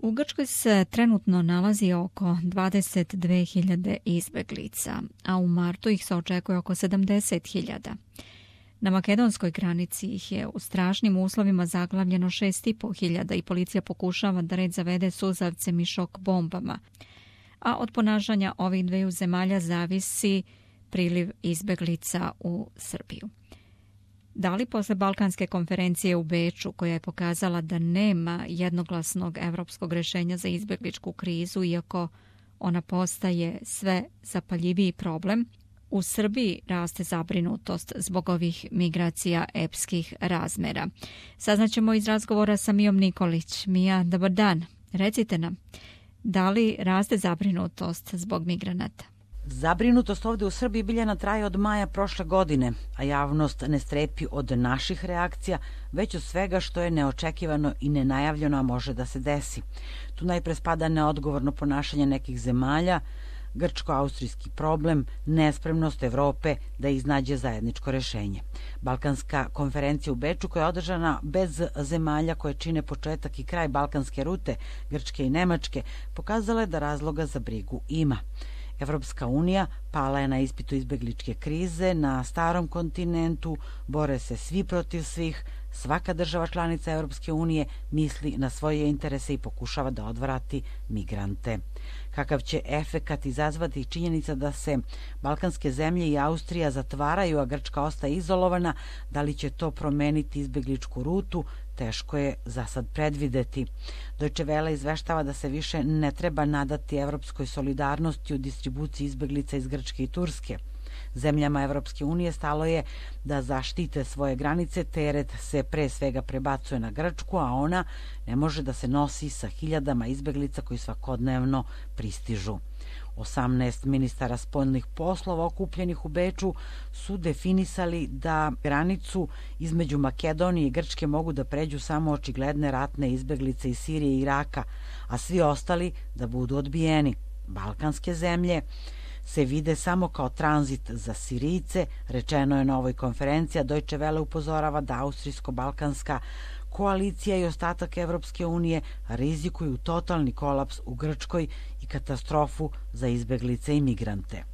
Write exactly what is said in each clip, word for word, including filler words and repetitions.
U Grčkoj se trenutno nalazi oko dvadeset dve hiljade izbeglica, a u martu ih se očekuje oko sedamdeset hiljada. Na makedonskoj granici ih je u strašnim uslovima zaglavljeno šest i po hiljada i policija pokušava da red zavede suzavcem i šok bombama. A od ponašanja ovih dveju zemalja zavisi priliv izbeglica u Srbiju. Da li posle Balkanske konferencije u Beču, koja je pokazala da nema jednoglasnog evropskog rešenja za izbegličku krizu, iako ona postaje sve zapaljiviji problem, u Srbiji raste zabrinutost zbog ovih migracija epskih razmera? Saznaćemo iz razgovora sa Mijom Nikolić. Mija, dobar dan. Recite nam, da li raste zabrinutost zbog migranata? Zabrinutost ovdje u Srbiji Biljana traje od maja prošle godine, a javnost ne strepi od naših reakcija, već od svega što je neočekivano i nenajavljeno, a može da se desi. Tu najpre spada neodgovorno ponašanje nekih zemalja, grčko-austrijski problem, nespremnost Evrope da iznađe zajedničko rešenje. Balkanska konferencija u Beču, koja je održana bez zemalja koje čine početak i kraj balkanske rute, Grčke i Nemačke, pokazala je da razloga za brigu ima. Evropska unija pala je na ispitu izbegličke krize na starom kontinentu, bore se svi protiv svih, svaka država članica Evropske unije misli na svoje interese i pokušava da odvrati migrante. Kakav će efekat izazvati činjenica da se balkanske zemlje i Austrija zatvaraju, a Grčka ostaje izolovana, da li će to promeniti izbegličku rutu, teško je za sad predvideti. Deutsche Welle izveštava da se više ne treba nadati evropskoj solidarnosti u distribuciji izbeglica iz Grčke i Turske. Zemljama Evropske unije stalo je da zaštite svoje granice, teret se pre svega prebacuje na Grčku, a ona ne može da se nosi sa hiljadama izbeglica koji svakodnevno pristižu. osamnaest ministara spoljnih poslova okupljenih u Beču su definisali da granicu između Makedonije i Grčke mogu da pređu samo očigledne ratne izbeglice iz Sirije i Iraka, a svi ostali da budu odbijeni. Balkanske zemlje se vide samo kao tranzit za Sirijce, rečeno je na ovoj konferenciji, a Deutsche Welle upozorava da austrijsko-balkanska koalicija i ostatak Evropske unije rizikuju totalni kolaps u Grčkoj i katastrofu za izbeglice i migrante.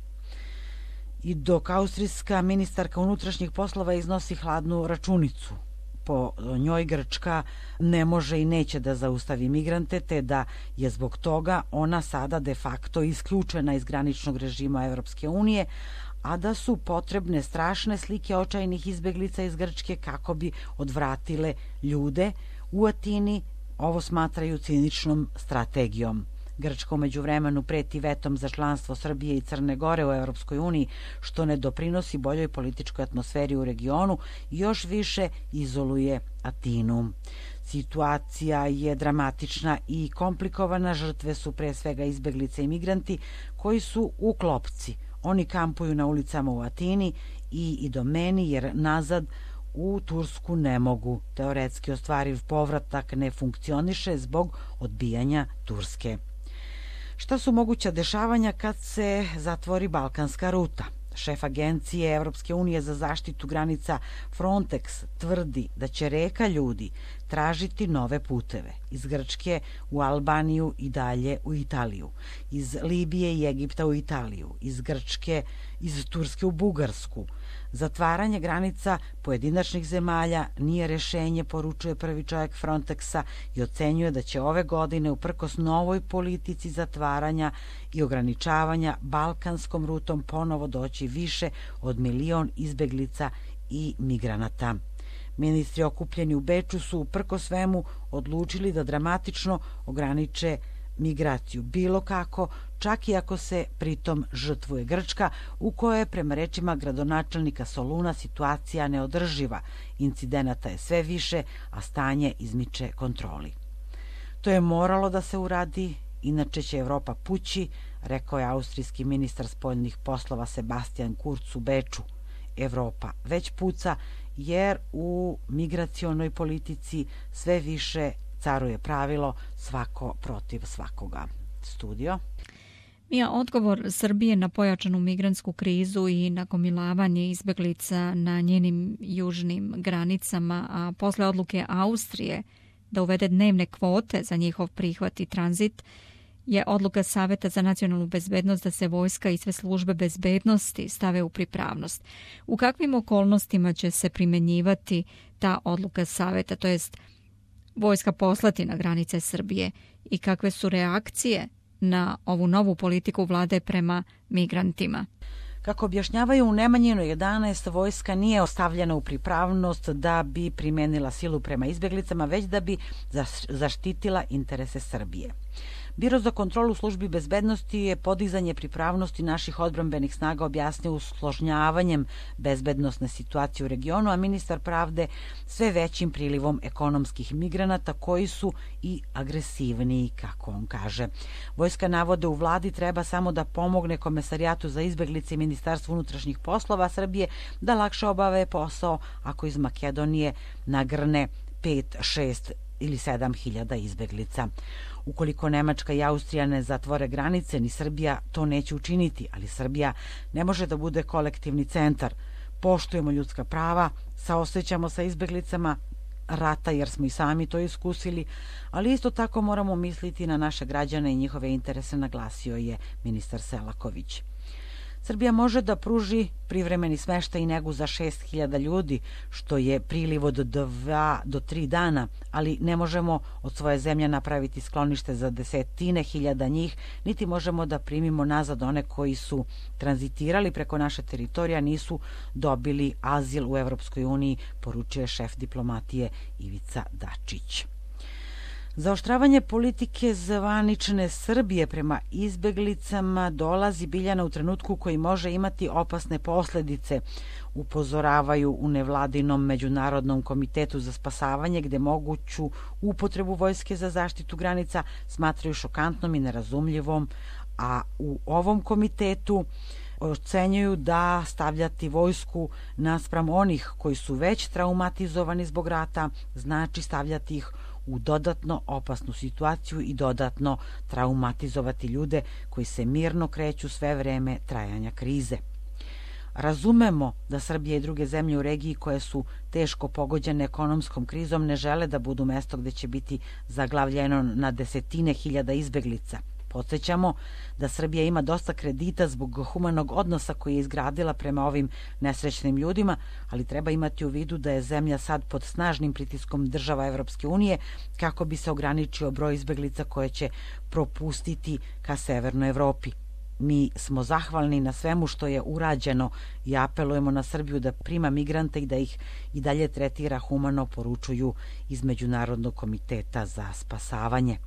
I dok austrijska ministarka unutrašnjih poslova iznosi hladnu računicu, po njoj Grčka ne može i neće da zaustavi migrante, te da je zbog toga ona sada de facto isključena iz graničnog režima Evropske unije, a da su potrebne strašne slike očajnih izbeglica iz Grčke kako bi odvratile ljude. U Atini ovo smatraju ciničnom strategijom. Grčka umeđu vremenu preti vetom za članstvo Srbije i Crne Gore u Evropskoj uniji, što ne doprinosi boljoj političkoj atmosferi u regionu i još više izoluje Atinu. Situacija je dramatična i komplikovana, žrtve su pre svega izbeglice i migranti koji su u klopci. Oni kampuju na ulicama u Atini i Idomeni jer nazad u Tursku ne mogu. Teoretski ostvariv povratak ne funkcioniše zbog odbijanja Turske. Šta su moguća dešavanja kad se zatvori balkanska ruta? Šef agencije Evropske unije za zaštitu granica Frontex tvrdi da će reka ljudi tražiti nove puteve iz Grčke u Albaniju i dalje u Italiju, iz Libije i Egipta u Italiju, iz Grčke, iz Turske u Bugarsku. Zatvaranje granica pojedinačnih zemalja nije rešenje, poručuje prvi čovjek Frontexa i ocenjuje da će ove godine uprkos novoj politici zatvaranja i ograničavanja balkanskom rutom ponovo doći više od milion izbeglica i migranata. Ministri okupljeni u Beču su uprko svemu odlučili da dramatično ograniče migraciju bilo kako, čak i ako se pritom žrtvuje Grčka, u kojoj je prema rečima gradonačelnika Soluna situacija neodrživa. Incidenata je sve više, a stanje izmiče kontroli. To je moralo da se uradi, inače će Evropa pući, rekao je austrijski ministar spoljnih poslova Sebastian Kurz u Beču. Evropa već puca jer u migracionoj politici sve više caruje pravilo svako protiv svakoga. Studio. Mija, odgovor Srbije na pojačanu migrantsku krizu i nagomilavanje izbeglica na njenim južnim granicama, a posle odluke Austrije da uvede dnevne kvote za njihov prihvat i tranzit je odluka Saveta za nacionalnu bezbednost da se vojska i sve službe bezbednosti stave u pripravnost. U kakvim okolnostima će se primjenjivati ta odluka Saveta, to jest vojska poslati na granice Srbije, i kakve su reakcije na ovu novu politiku vlade prema migrantima? Kako objašnjavaju u Nemanjinoj jedanaest, vojska nije ostavljena u pripravnost da bi primenila silu prema izbjeglicama, već da bi zaštitila interese Srbije. Biro za kontrolu službi bezbednosti je podizanje pripravnosti naših odbrambenih snaga objasnio usložnjavanjem bezbednosne situacije u regionu, a ministar pravde sve većim prilivom ekonomskih migranata koji su i agresivniji, kako on kaže. Vojska, navode u vladi, treba samo da pomogne Komesarijatu za izbeglice i Ministarstvu unutrašnjih poslova Srbije da lakše obave posao ako iz Makedonije nagrne pet, šest ili sedam hiljada izbeglica. Ukoliko Nemačka i Austrija ne zatvore granice, ni Srbija to neće učiniti, ali Srbija ne može da bude kolektivni centar. Poštujemo ljudska prava, saosećamo sa izbeglicama rata jer smo i sami to iskusili, ali isto tako moramo misliti na naše građane i njihove interese, naglasio je ministar Selaković. Srbija može da pruži privremeni smeštaj i negu za šest hiljada ljudi, što je priliv od dva do tri dana, ali ne možemo od svoje zemlje napraviti sklonište za desetine hiljada njih, niti možemo da primimo nazad one koji su tranzitirali preko naše teritorija, nisu dobili azil u Evropskoj uniji, poručuje šef diplomatije Ivica Dačić. Zaoštravanje politike zvanične Srbije prema izbeglicama dolazi, Biljana, u trenutku koji može imati opasne posledice, upozoravaju u nevladinom Međunarodnom komitetu za spasavanje, gde moguću upotrebu vojske za zaštitu granica smatraju šokantnom i nerazumljivom, a u ovom komitetu ocenjuju da stavljati vojsku naspram onih koji su već traumatizovani zbog rata znači stavljati ih u dodatno opasnu situaciju i dodatno traumatizovati ljude koji se mirno kreću sve vreme trajanja krize. Razumemo da Srbija i druge zemlje u regiji koje su teško pogođene ekonomskom krizom ne žele da budu mesto gde će biti zaglavljeno na desetine hiljada izbeglica. Podsjećamo da Srbija ima dosta kredita zbog humanog odnosa koji je izgradila prema ovim nesrećnim ljudima, ali treba imati u vidu da je zemlja sad pod snažnim pritiskom država Evropske unije kako bi se ograničio broj izbeglica koje će propustiti ka Severnoj Evropi. Mi smo zahvalni na svemu što je urađeno i apelujemo na Srbiju da prima migrante i da ih i dalje tretira humano, poručuju iz Međunarodnog komiteta za spasavanje.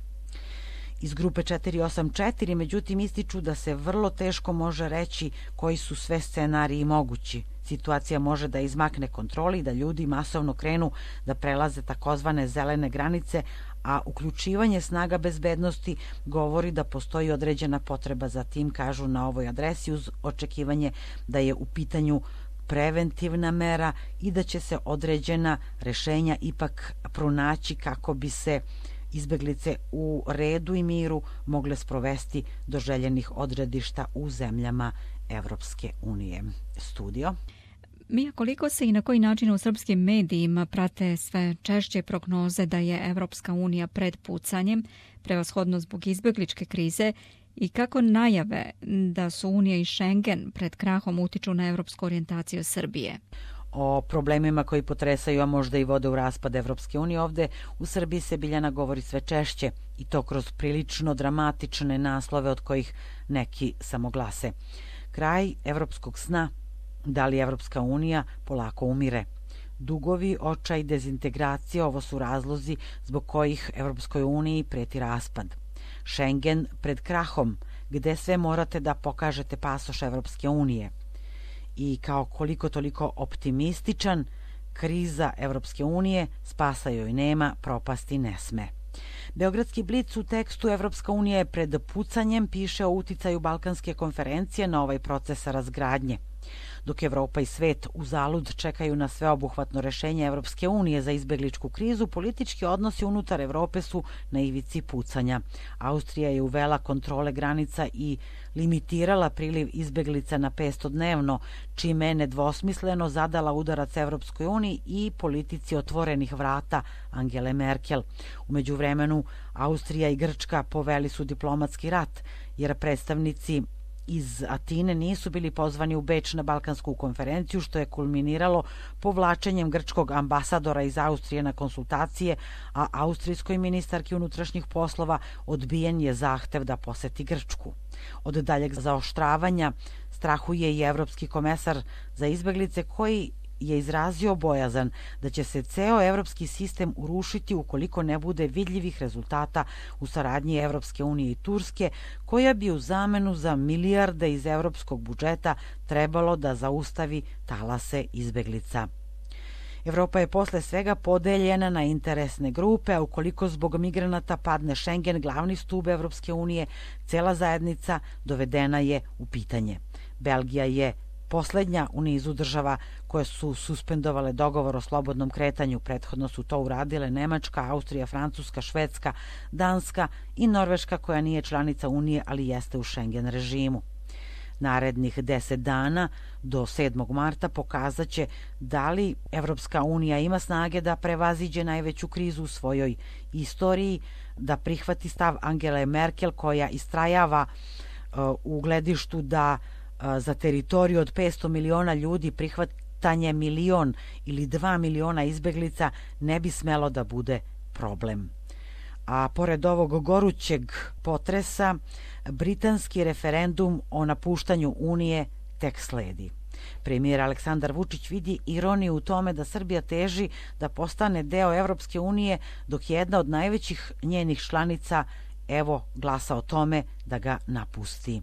Iz grupe četiri osam četiri, međutim, ističu da se vrlo teško može reći koji su sve scenariji mogući. Situacija može da izmakne kontroli i da ljudi masovno krenu da prelaze takozvane zelene granice, a uključivanje snaga bezbednosti govori da postoji određena potreba za tim, kažu na ovoj adresi, uz očekivanje da je u pitanju preventivna mera i da će se određena rešenja ipak pronaći kako bi se izbeglice u redu i miru mogle sprovesti do željenih odredišta u zemljama Evropske unije. Studio. Mija, koliko se i na koji način u srpskim medijima prate sve češće prognoze da je Evropska unija pred pucanjem, prevashodno zbog izbegličke krize, i kako najave da su Unija i Schengen pred krahom utiču na evropsku orijentaciju Srbije? O problemima koji potresaju, a možda i vode u raspad Evropske unije, ovde u Srbiji se, Biljana, govori sve češće i to kroz prilično dramatične naslove od kojih neki samo glase. Kraj evropskog sna, da li Evropska unija polako umire. Dugovi, očaj, dezintegracija, ovo su razlozi zbog kojih Evropskoj uniji preti raspad. Schengen pred krahom, gde sve morate da pokažete pasoš Evropske unije. I kao koliko toliko optimističan, kriza Evropske unije, spasa joj nema, propasti ne sme. Beogradski blic u tekstu Evropska unija je pred pucanjem piše o uticaju Balkanske konferencije na ovaj proces razgradnje. Dok Evropa i svet uzalud čekaju na sveobuhvatno rešenje Evropske unije za izbegličku krizu, politički odnosi unutar Evrope su na ivici pucanja. Austrija je uvela kontrole granica i limitirala priliv izbeglica na petsto dnevno, čime je nedvosmisleno zadala udarac Evropskoj uniji i politici otvorenih vrata Angele Merkel. U međuvremenu, Austrija i Grčka poveli su diplomatski rat, jer predstavnici iz Atine nisu bili pozvani u Beč na Balkansku konferenciju, što je kulminiralo povlačenjem grčkog ambasadora iz Austrije na konsultacije, a austrijskoj ministarki unutrašnjih poslova odbijen je zahtev da poseti Grčku. Od daljeg zaoštravanja strahuje i evropski komesar za izbeglice, koji je izrazio bojazan da će se ceo evropski sistem urušiti ukoliko ne bude vidljivih rezultata u saradnji Evropske unije i Turske, koja bi u zamenu za milijarde iz evropskog budžeta trebalo da zaustavi talase izbeglica. Evropa je posle svega podeljena na interesne grupe, a ukoliko zbog migranata padne Schengen, glavni stub Evropske unije, cela zajednica dovedena je u pitanje. Belgija je poslednja u nizu država koje su suspendovale dogovor o slobodnom kretanju. Prethodno su to uradile Nemačka, Austrija, Francuska, Švedska, Danska i Norveška, koja nije članica Unije, ali jeste u Schengen režimu. Narednih deset dana do sedmog marta pokazaće da li Evropska unija ima snage da prevaziđe najveću krizu u svojoj istoriji, da prihvati stav Angele Merkel, koja istrajava uh, u gledištu da za teritoriju od petsto miliona ljudi prihvatanje milion ili dva miliona izbeglica ne bi smelo da bude problem. A pored ovog gorućeg potresa, britanski referendum o napuštanju Unije tek sledi. Premijer Aleksandar Vučić vidi ironiju u tome da Srbija teži da postane deo Evropske unije, dok jedna od najvećih njenih članica evo glasa o tome da ga napusti.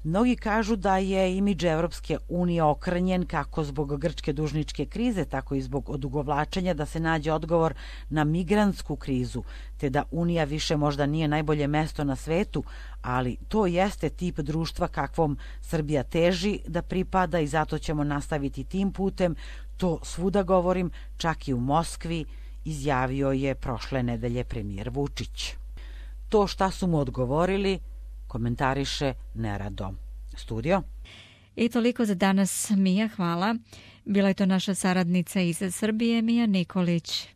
Mnogi kažu da je imidž Evropske unije okrnjen kako zbog grčke dužničke krize, tako i zbog odugovlačenja da se nađe odgovor na migrantsku krizu, te da Unija više možda nije najbolje mesto na svetu, ali to jeste tip društva kakvom Srbija teži da pripada i zato ćemo nastaviti tim putem. To svuda govorim, čak i u Moskvi, izjavio je prošle nedelje premijer Vučić. To šta su mu odgovorili komentariše nerado. Studio. I toliko za danas, Mija, hvala. Bila je to naša saradnica iz Srbije, Mija Nikolić.